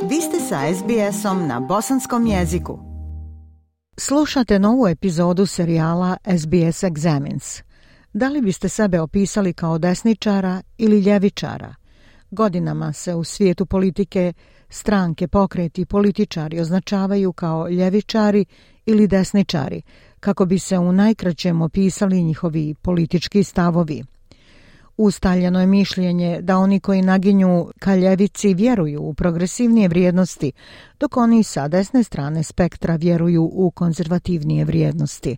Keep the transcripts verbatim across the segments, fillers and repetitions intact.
Vi ste sa es be esom na bosanskom jeziku. Slušate novu epizodu serijala es be es Examines. Da li biste sebe opisali kao desničara ili ljevičara? Godinama se u svijetu politike stranke, pokreti i političari označavaju kao ljevičari ili desničari, kako bi se u najkraćem opisali njihovi politički stavovi. Ustaljeno je mišljenje da oni koji naginju ka ljevici vjeruju u progresivnije vrijednosti, dok oni sa desne strane spektra vjeruju u konzervativnije vrijednosti.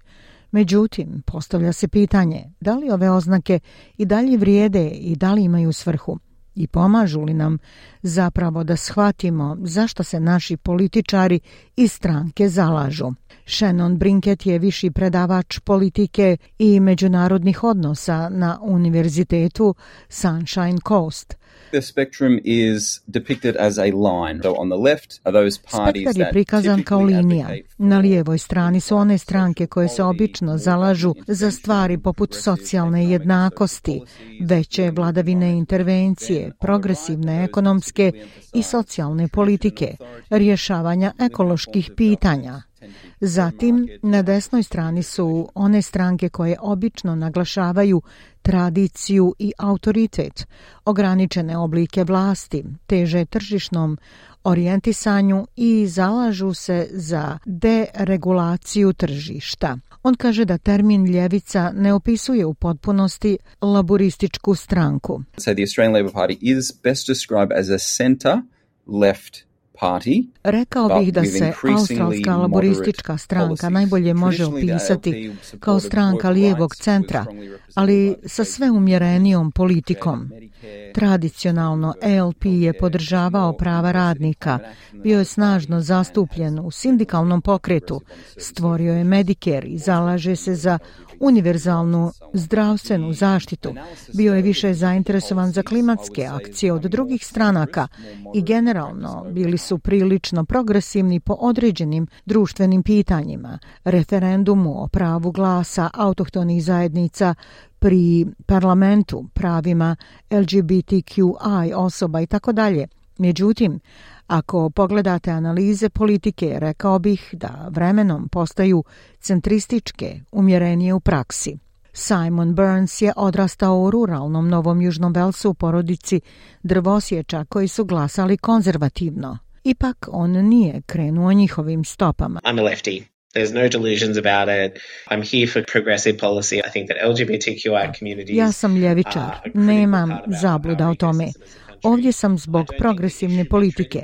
Međutim, postavlja se pitanje da li ove oznake i dalje vrijede i da li imaju svrhu i pomažu li nam zapravo da shvatimo zašto se naši političari i stranke zalažu. Shannon Brinket je viši predavač politike i međunarodnih odnosa na Univerzitetu Sunshine Coast. The spectrum is depicted as a line. So on the left are those parties Spektar je prikazan kao linija. Na lijevoj strani su one stranke koje se obično zalažu za stvari poput socijalne jednakosti, veće vladavine intervencije, progresivne ekonomske i socijalne politike, rješavanja ekoloških pitanja. Zatim, na desnoj strani su one stranke koje obično naglašavaju tradiciju i autoritet, ograničene oblike vlasti, teže tržišnom orijentisanju i zalažu se za deregulaciju tržišta. On kaže da termin ljevica ne opisuje u potpunosti laburističku stranku. So the Australian Labor Party is best described as a centre left party. Rekao bih da se australska laboristička stranka najbolje može opisati kao stranka lijevog centra, ali sa sve umjerenijom politikom. Tradicionalno A L P je podržavao prava radnika, bio je snažno zastupljen u sindikalnom pokretu, stvorio je Medicare i zalaže se za univerzalnu zdravstvenu zaštitu, bio je više zainteresovan za klimatske akcije od drugih stranaka i generalno bili su prilično progresivni po određenim društvenim pitanjima, referendumu o pravu glasa autohtonih zajednica pri parlamentu, pravima L G B T Q I osoba i tako dalje. Međutim, ako pogledate analize politike, rekao bih da vremenom postaju centrističke, umjerenije u praksi. Simon Burns je odrastao u ruralnom Novom Južnom Velsu u porodici drvosječa koji su glasali konzervativno. Ipak on nije krenuo njihovim stopama. I'm a lefty. There's no delusions about it. I'm here for progressive policy. I think that L G B T Q I communities. Ja sam ljevičar. Nemam zabluda o tome. Ovdje sam zbog progresivne politike.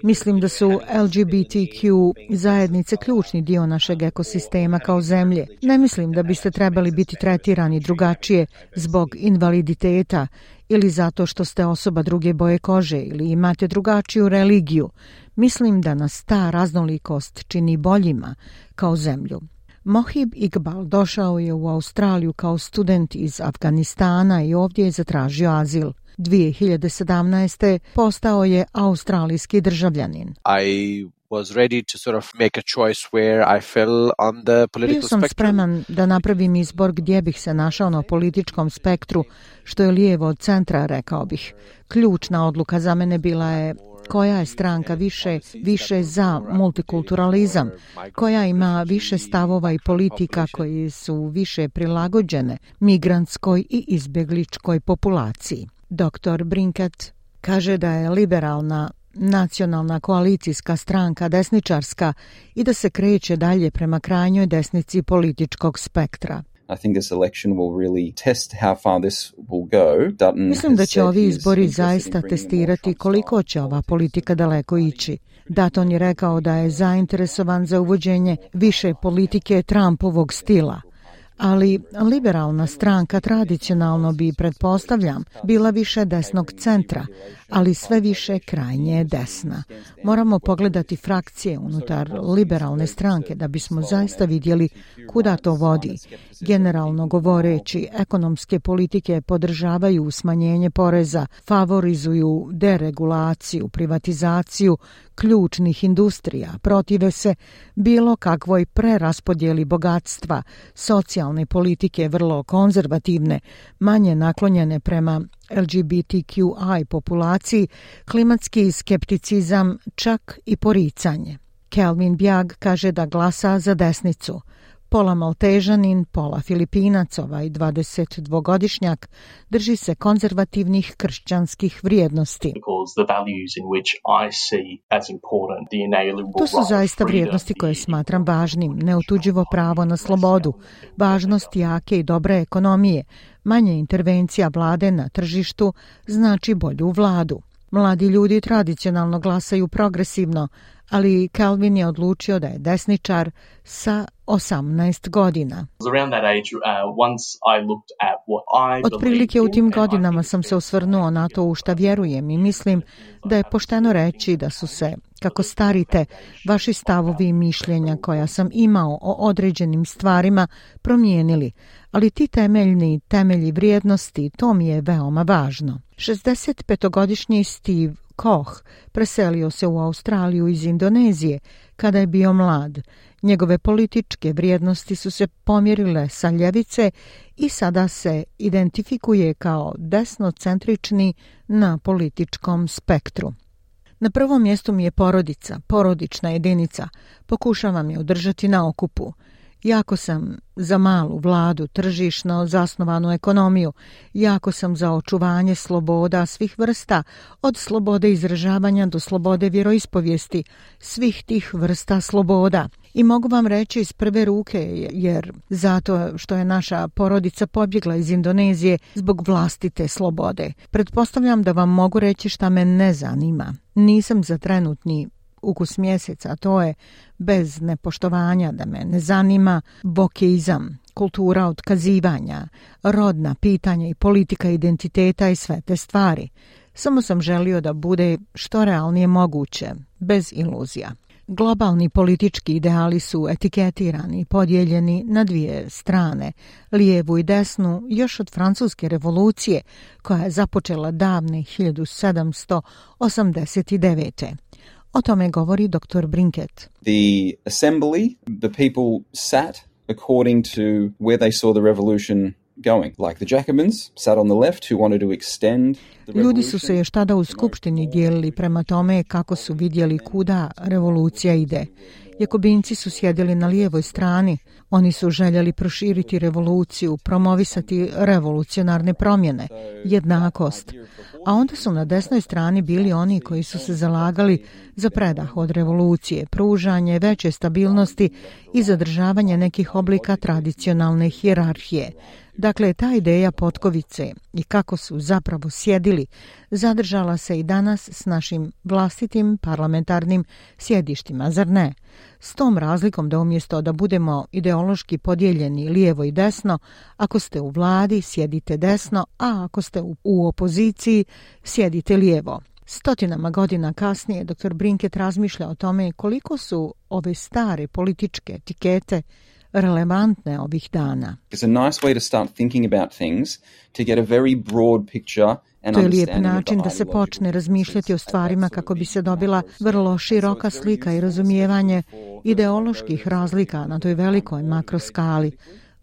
Mislim da su L G B T Q zajednice ključni dio našeg ekosistema kao zemlje. Ne mislim da biste trebali biti tretirani drugačije zbog invaliditeta ili zato što ste osoba druge boje kože ili imate drugačiju religiju. Mislim da nas ta raznolikost čini boljima kao zemlju. Mohib Iqbal došao je u Australiju kao student iz Afganistana i ovdje je zatražio azil. dvije hiljade sedamnaeste. postao je australijski državljanin. I was ready to sort of make a choice where I fell on the political Bio sam spectrum. spreman da napravim izbor gdje bih se našao na političkom spektru, što je lijevo od centra, rekao bih. Ključna odluka za mene bila je koja je stranka više, više za multikulturalizam, koja ima više stavova i politika koji su više prilagođene migrantskoj i izbjegličkoj populaciji. doktor Brinket kaže da je liberalna nacionalna koalicijska stranka desničarska i da se kreće dalje prema krajnjoj desnici političkog spektra. I think this election will really test how far this will go. Dutton Mislim da će ovi izbori zaista testirati koliko će ova politika daleko ići. Dutton je rekao da je zainteresovan za uvođenje više politike Trumpovog stila. Ali liberalna stranka tradicionalno bi, pretpostavljam, bila više desnog centra, ali sve više krajnje desna. Moramo pogledati frakcije unutar liberalne stranke da bismo zaista vidjeli kuda to vodi. Generalno govoreći, ekonomske politike podržavaju smanjenje poreza, favorizuju deregulaciju, privatizaciju ključnih industrija, protive se bilo kakvoj preraspodjeli bogatstva, socijalnog tradicionalne politike, vrlo konzervativne, manje naklonjene prema L G B T Q I populaciji, klimatski skepticizam, čak i poricanje. Kelvin Bjag kaže da glasa za desnicu. Pola Maltežanin, pola Filipinac, ovaj dvadesetdvogodišnjak, drži se konzervativnih kršćanskih vrijednosti. To su zaista vrijednosti koje smatram važnim, neotuđivo pravo na slobodu, važnost jake i dobre ekonomije, manje intervencija vlade na tržištu znači bolju vladu. Mladi ljudi tradicionalno glasaju progresivno, ali Kelvin je odlučio da je desničar sa osamnaest godina. Otprilike u tim godinama sam se osvrnuo na to u šta vjerujem i mislim da je pošteno reći da su se, kako starite, vaši stavovi i mišljenja koja sam imao o određenim stvarima promijenili, ali ti temeljni temelji vrijednosti, to mi je veoma važno. šezdesetpetogodišnji Steve Koch preselio se u Australiju iz Indonezije kada je bio mlad. Njegove političke vrijednosti su se pomjerile sa ljevice i sada se identifikuje kao desnocentrični na političkom spektru. Na prvom mjestu mi je porodica, porodična jedinica. Pokušavam je održati na okupu. Jako sam za malu vladu, tržišno zasnovanu ekonomiju. Jako sam za očuvanje sloboda svih vrsta, od slobode izražavanja do slobode vjeroispovijesti, svih tih vrsta sloboda. I mogu vam reći iz prve ruke, jer zato što je naša porodica pobjegla iz Indonezije zbog vlastite slobode. Pretpostavljam da vam mogu reći šta me ne zanima. Nisam za trenutni ukus mjeseca, to je bez nepoštovanja, da me ne zanima bokeizam, kultura otkazivanja, rodna pitanja i politika identiteta i sve te stvari. Samo sam želio da bude što realnije moguće, bez iluzija. Globalni politički ideali su etiketirani i podijeljeni na dvije strane, lijevu i desnu, još od Francuske revolucije, koja je započela davne hiljadu sedamsto osamdeset devete. O tome govori doktor Brinket. The assembly, the people sat according to where they saw the revolution going. Like the Jacobins sat on the left who wanted to extend the revolution. Ljudi su se još tada u skupštini dijelili prema tome kako su vidjeli kuda revolucija ide. Jakobinci su sjedili na lijevoj strani. Oni su željeli proširiti revoluciju, promovisati revolucionarne promjene, jednakost. A onda su na desnoj strani bili oni koji su se zalagali za predah od revolucije, pružanje veće stabilnosti i zadržavanje nekih oblika tradicionalne hijerarhije. Dakle, ta ideja potkovice i kako su zapravo sjedili zadržala se i danas s našim vlastitim parlamentarnim sjedištima, zar ne? S tom razlikom da umjesto da budemo ideološki podijeljeni lijevo i desno, ako ste u vladi sjedite desno, a ako ste u, u opoziciji sjedite lijevo. Stotinama godina kasnije doktor Brinket razmišlja o tome koliko su ove stare političke etikete relevantne ovih dana. It's a nice way to start thinking about things, to get a very broad picture. To je lijep način da se počne razmišljati o stvarima kako bi se dobila vrlo široka slika i razumijevanje ideoloških razlika na toj velikoj makroskali.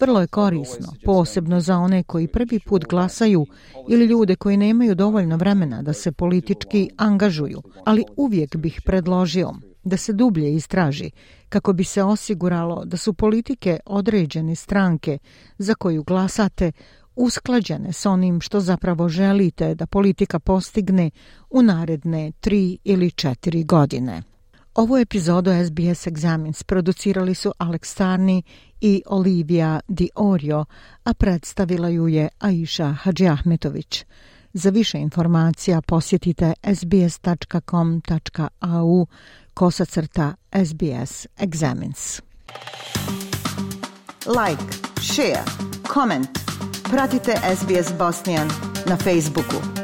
Vrlo je korisno, posebno za one koji prvi put glasaju ili ljude koji nemaju dovoljno vremena da se politički angažuju, ali uvijek bih predložio da se dublje istraži kako bi se osiguralo da su politike određene stranke za koju glasate usklađene s onim što zapravo želite da politika postigne u naredne tri ili četiri godine. Ovu epizodu S B S Examines producirali su Alex Sarni i Olivia Di Orio, a predstavila ju je Aisha Hadžiahmetović. Za više informacija posjetite sbs.com.au kosacrta SBS Examines. Like, share, comment. Pratite S B S Bosnian na Facebooku.